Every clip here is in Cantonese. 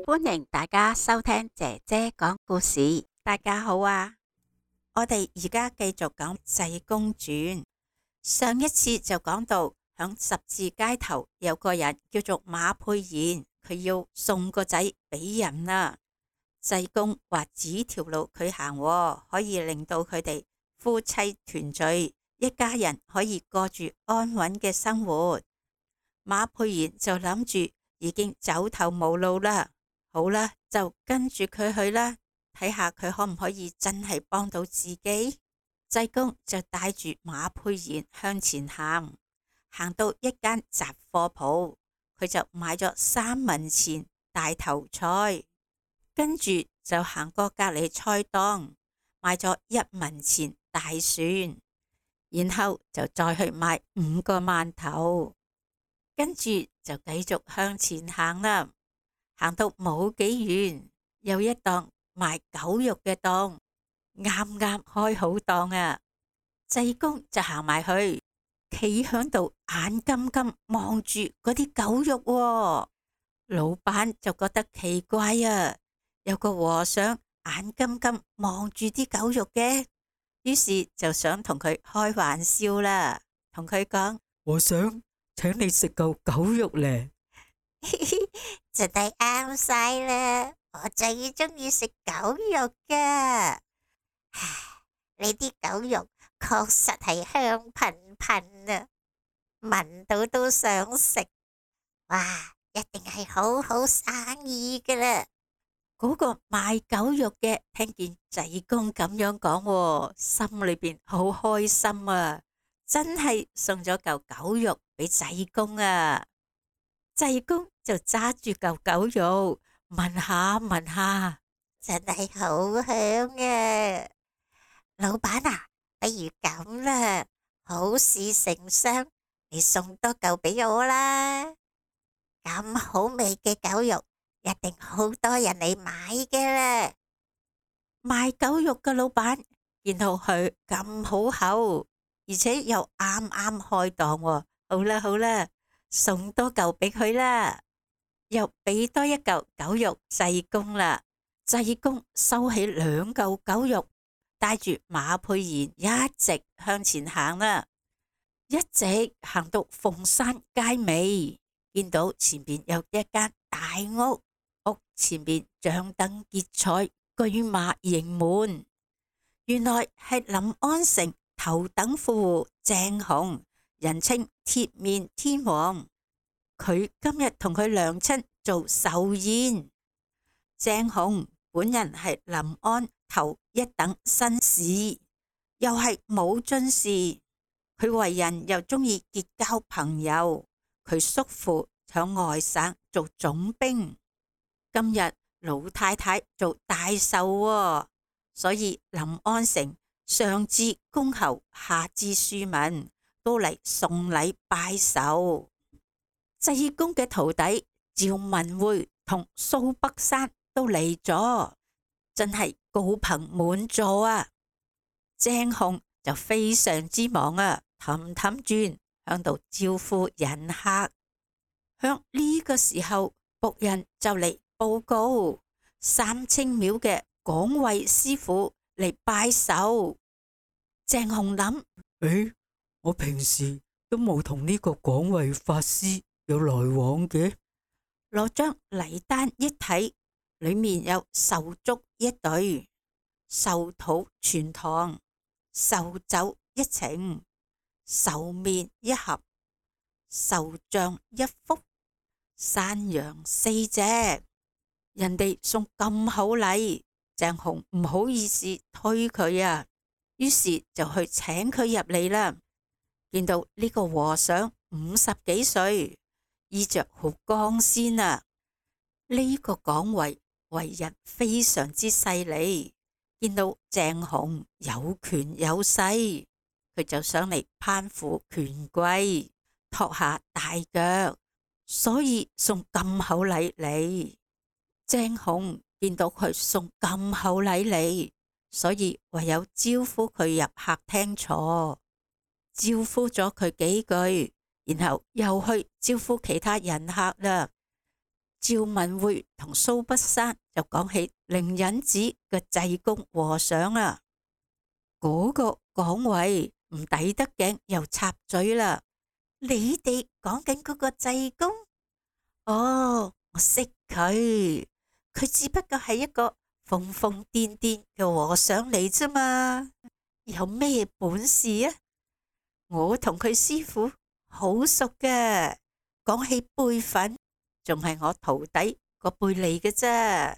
歡迎大家收聽姐姐講故事。大家好啊！我哋而家繼續講濟公傳。上一次就講到響十字街頭有個人叫做馬沛然，佢要送個仔俾人啦。濟公話指條路佢行，可以令到佢哋夫妻團聚，一家人可以過住安穩嘅生活。馬沛然就諗住已經走投無路啦，好啦，就跟住佢去啦，睇下佢可唔可以真係幫到自己。濟公就帶住馬沛然向前行，行到一間雜貨鋪，佢就買咗3文錢大頭菜，跟住就行過隔籬菜檔，買咗1文錢大蒜，然後就再去買5個饅頭，跟住就繼續向前行啦。行到冇幾遠，有一檔賣狗肉嘅檔，啱啱開好檔啊！濟公就行埋去，企響度眼金金望住嗰啲狗肉喎。老闆就覺得奇怪啊，有個和尚眼金金望住啲狗肉嘅，於是就想同佢開玩笑啦，同佢講：和尚，請你食嚿狗肉咧。真係啱晒啦！我最中意食狗肉噶，呢啲狗肉確實係香噴噴啊，聞到都想食。哇，一定係好好生意噶啦！嗰個賣狗肉嘅聽見濟公咁樣講喎，心裏邊好開心啊！真係送咗嚿狗肉俾濟公啊！濟公就揸住嚿狗肉聞下聞下，真係好香啊！老闆啊，不如咁啦，好事成雙，你送多嚿俾我啦！咁好味嘅狗肉，一定好多人嚟買嘅啦。賣狗肉嘅老闆見到佢咁好口，而且又啱啱開檔喎，好啦好啦，送多嚿俾佢啦，又俾多一嚿狗肉濟公啦。濟公收起2嚿狗肉，帶住馬沛然一直向前行啦，一直行到鳳山街尾，見到前邊有一間大屋，屋前邊張燈結綵，車馬盈門。原來係臨安城頭等富戶鄭雄，人稱鐵面天王。佢今日同佢娘親做壽宴。鄭雄本人係臨安頭1等紳士，又係武進士。佢為人又中意結交朋友。佢叔父響外省做總兵，今日老太太做大壽喎，所以臨安城上至公侯，下至庶民都嚟送禮拜壽。濟公嘅徒弟趙文會同蘇北山都嚟咗，真係高朋滿座啊！鄭雄就非常之忙啊，氹氹轉響度招呼人客。響呢個時候，僕人就嚟報告三清廟嘅廣惠師傅嚟拜壽。鄭雄諗：我平時都冇同呢個廣惠法師有來往嘅。攞張禮單一睇，裏面有壽燭1對，壽土全堂，壽酒1埕，壽麵1盒，壽像1幅，山羊4隻。人哋送咁好禮，鄭雄唔好意思推佢啊，於是就去請佢入嚟啦。見到呢個和尚50幾歲，衣着好光鮮啊。呢個廣惠為人非常之勢利，見到鄭雄有權有勢，佢就想嚟攀附權貴，托下大腳，所以送咁厚禮嚟。鄭雄見到佢送咁厚禮嚟，所以唯有招呼佢入客廳坐。招呼咗佢幾句，然後又去招呼其他人客啦。趙文匯同蘇北山就講起靈隱寺嘅濟公和尚啊，嗰個講位唔抵得頸又插嘴啦。你哋講緊嗰個濟公？哦，我識佢，佢只不過係一個瘋瘋癲癲嘅和尚嚟啫嘛，有咩本事啊？我同佢師傅好熟嘅，講起輩份，仲係我徒弟個輩嚟嘅啫。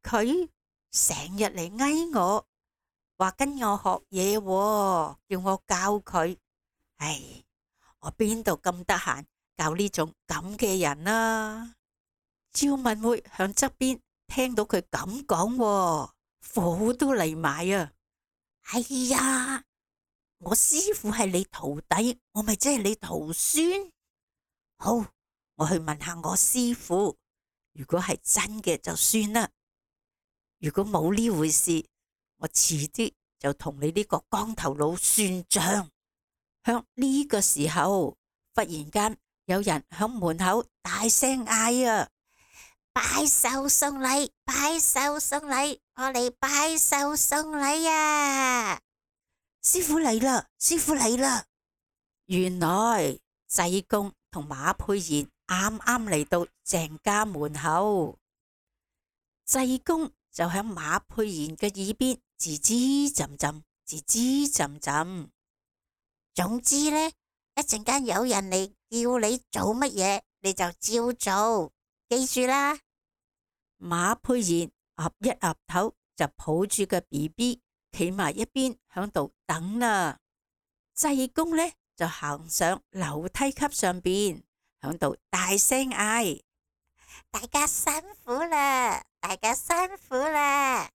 佢成日嚟嗌我，話跟我學嘢喎，叫我教佢。唉，我邊度咁得閒教呢種咁嘅人啊？趙文匯響側邊聽到佢咁講喎，火都嚟埋啊！哎呀，我師傅係你徒弟，我咪即係你徒孫。好，我去問下我師傅，如果係真嘅就算啦。如果冇呢回事，我遲啲就同你呢個光頭佬算賬。響呢個時候，忽然間有人響門口大聲嗌啊！拜壽送禮，拜壽送禮，我嚟拜壽送禮啊！師傅嚟啦，師傅嚟啦！原來濟公同馬佩賢啱啱嚟到鄭家門口，濟公就喺馬佩賢嘅耳邊吱吱浸浸，吱吱浸浸。總之呢，一陣間有人嚟叫你做乜嘢，你就照做，記住啦。馬佩賢岌一岌頭，就抱住個 BB 企埋一邊響度等啦。濟公呢就行上樓梯級上邊，響度大聲嗌：大家辛苦啦，大家辛苦啦！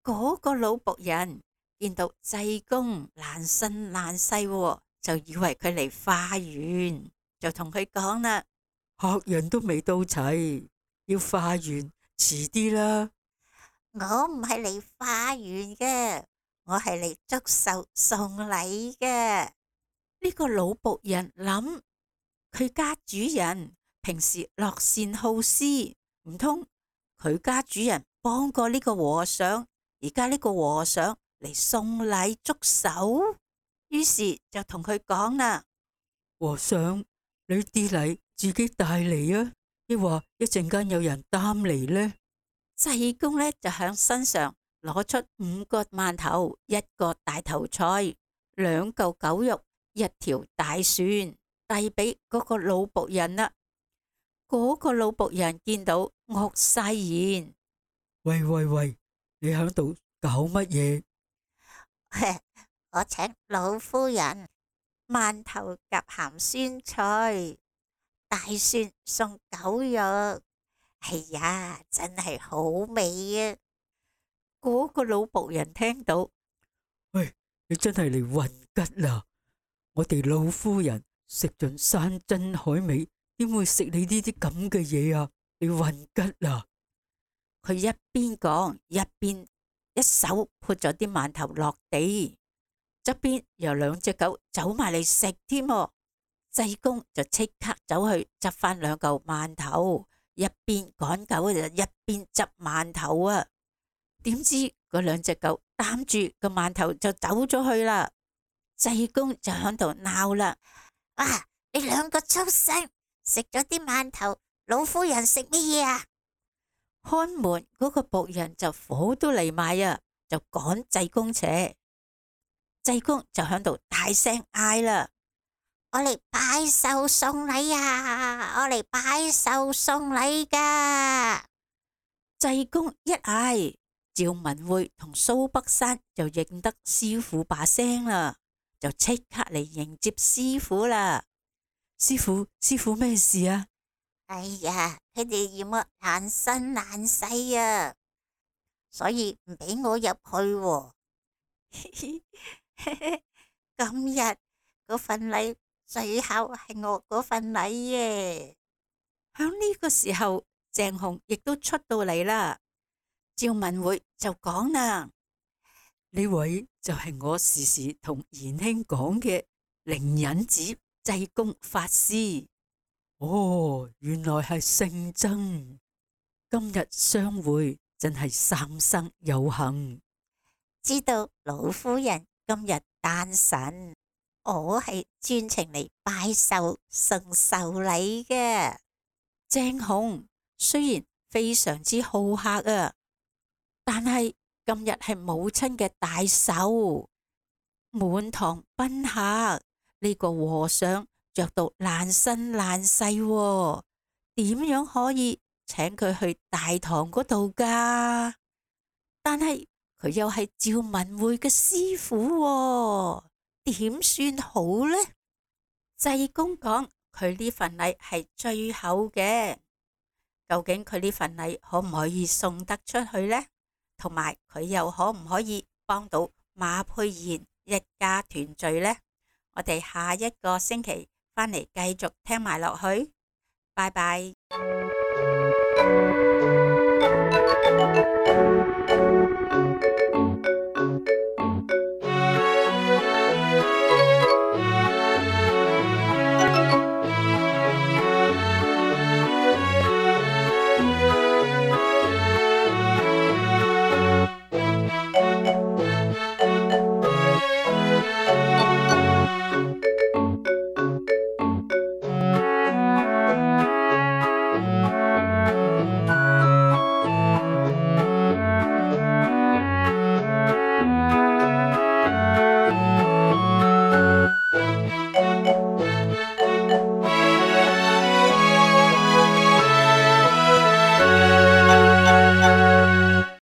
嗰個老僕人見到濟公爛身爛世，就以為佢嚟化緣，就同佢講啦：客人都未到齊，要化緣遲啲啦。我唔係嚟化緣嘅，我係嚟祝壽送禮嘅。呢個老僕人諗，佢家主人平時樂善好施，唔通佢家主人幫過呢個和尚，而家呢個和尚嚟送禮祝壽，於是就同佢講啦：和尚，你啲禮自己帶嚟啊，抑或一陣間有人擔嚟呢？濟公呢就響身上攞出5個饅頭、1個大頭菜、2嚿狗肉、1條大蒜，遞俾嗰個老僕人啦。嗰個老僕人見到惡晒言：喂喂喂，你喺度搞乜嘢？我請老夫人饅頭夾鹹酸菜，大蒜送狗肉。哎呀，真係好味啊！嗰個老僕人聽到，喂，你真係嚟混吉啦！我哋老夫人食盡山珍海味，點會食你呢啲咁嘅嘢啊？你混吉啦！佢一邊講一邊一手潑咗啲饅頭落地，側邊有2隻狗走埋嚟食添。濟公就即刻走去執翻2嚿饅頭，一邊趕狗就一邊執饅頭啊！點知嗰2隻狗擔住個饅頭就走咗去啦。濟公就喺度鬧啦：啊！你2個畜生，食咗啲饅頭，老夫人食乜嘢啊？看門嗰個僕人就火都嚟埋啊，就趕濟公扯。濟公就喺度大聲嗌啦：我嚟拜壽送禮啊！我嚟拜壽送禮噶！濟公一嗌，趙文匯同蘇北山就認得師傅把聲啦，就即刻嚟迎接師傅啦。師傅咩事啊？哎呀，佢哋嫌我爛身爛世啊，所以唔俾我入去喎。今日嗰份禮最後係我嗰份禮耶。響呢個時候，鄭紅亦都出到嚟啦。趙文匯就講啦：呢位就係我時時同賢兄講嘅靈隱寺濟公法師。哦，原來係聖僧，今日相會真係三生有幸。知道老夫人今日誕辰，我係專程嚟拜壽送壽禮嘅。鄭雄雖然非常之好客啊，但係今日係母親嘅大壽，滿堂賓客，呢個和尚着到爛身爛世喎，點樣可以請佢去大堂嗰度噶？但係佢又係趙文會嘅師傅喎，點算好呢？濟公講佢呢份禮係最後嘅，究竟佢呢份禮可唔可以送得出去呢？同埋佢又可唔可以幫到馬佩賢一家團聚呢？我哋下一個星期返嚟繼續聽埋落去，拜拜。